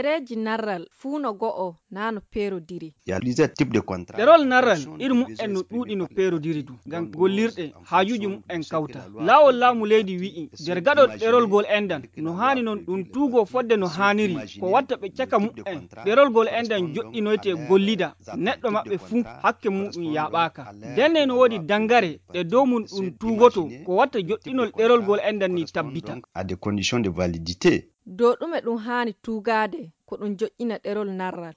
ɗereji narral fuu no go'o naa no peerodiri. ɗerol narral iri mum'en no ɗuuɗi no peerodiri du ngam gollirɗe haajuji mum'en kawta. Laawol laamu leydi wi'i nder gaɗol ɗerol gol endan no haani non ɗum tuugo fodde no haaniri ko watta ɓe caka mum'en ɗerol gol endan joɗɗinoyte gollida neɗɗo maɓɓe fuu hakke muɗum yaɓaaka. Nden no woodi dangare ɗe dow mum ɗum tuugoto ko watta joɗɗinol ɗerol gol endan ni tabbita. Dow ɗume ɗum haani tuugaade ko ɗum joƴƴina ɗerol narral?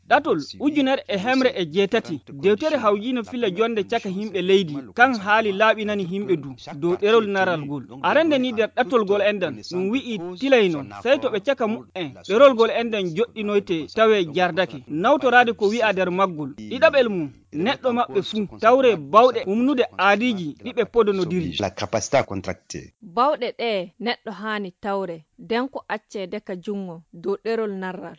Ɗatol 1108 dewtere hawjino filla jonde caka himɓe leydi kan haali laaɓinani himɓe dow ɗerol narral gol. Arande ni nder ɗatol gol endan ɗum wi'i tilay non sey to ɓe caka mum'en ɗerol gol endan joɗɗinoyte tawe jardake nawtoraade ko wi'a nder maggol. Ɗiɗaɓel mum neɗɗo maɓɓe fuu tawre bawɗe umnude aadiji ɗiɓe podonodiri. Bawɗe ɗe neɗɗo haani tawre nden ko accede ka jungo dow ɗerol narral.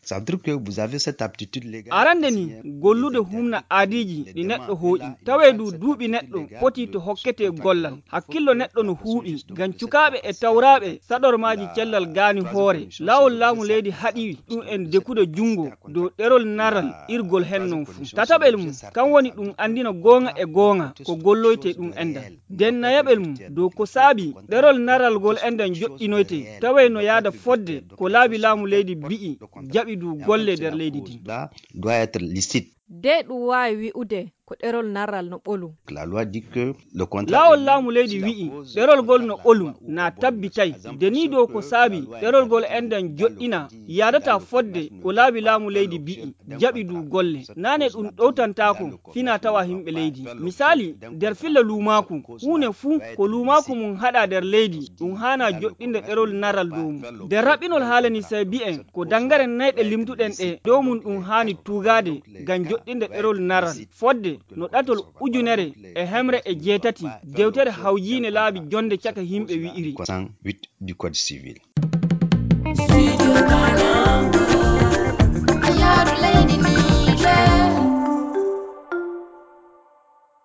Arande ni gollude humna aadiji ɗi neɗɗo hooƴi tawe duuɓi neɗɗo foti to hokkete gollal hakkillo neɗɗo no huuɓi ngam cukaaɓe e tawraaɓe saɗormaaji cellal gaani hoore. Laawol laamu leydi haɗi ɗum en dekude jungo dow ɗerol narral irgol hen non fuu. Tataɓel mum kan woni ɗum andina goonga e goonga ko golloyte ɗum endan. Nden nayaɓel mum dow ko saabi ɗerol narral gol endan joɗɗinoyte tawe no yaada fodde ko laabi laamu leydi bi'i jaɓi du golle nder leydi din. De ɗum waawi wi'ude ko ɗerol narral no ɓolum. Laawol laamu leydi wi'i ɗerol gol no ɓolum na tabbitay de ni dow ko saabi ɗerol gol endan joɗɗina yaadata fodde ko laabi laamu leydi bi'i jaɓi du golle naane ɗum ɗowtantaako fina tawa himɓe leydi. Misali nder filla luumaaku huune fuu ko luumaaku mum haɗa nder leydi ɗum haana joɗɗinde ɗerol narral dow mum. Nder raɓɓinol haalani sey bi'en ko dangare nayɗe limtuɗen ɗe dow mum ɗum haani tuugaade ngam joɗɗinde ɗerol narral fodde no ɗatol 1108 dewtere hawjiine laabi jonde caka himɓe wi'iri.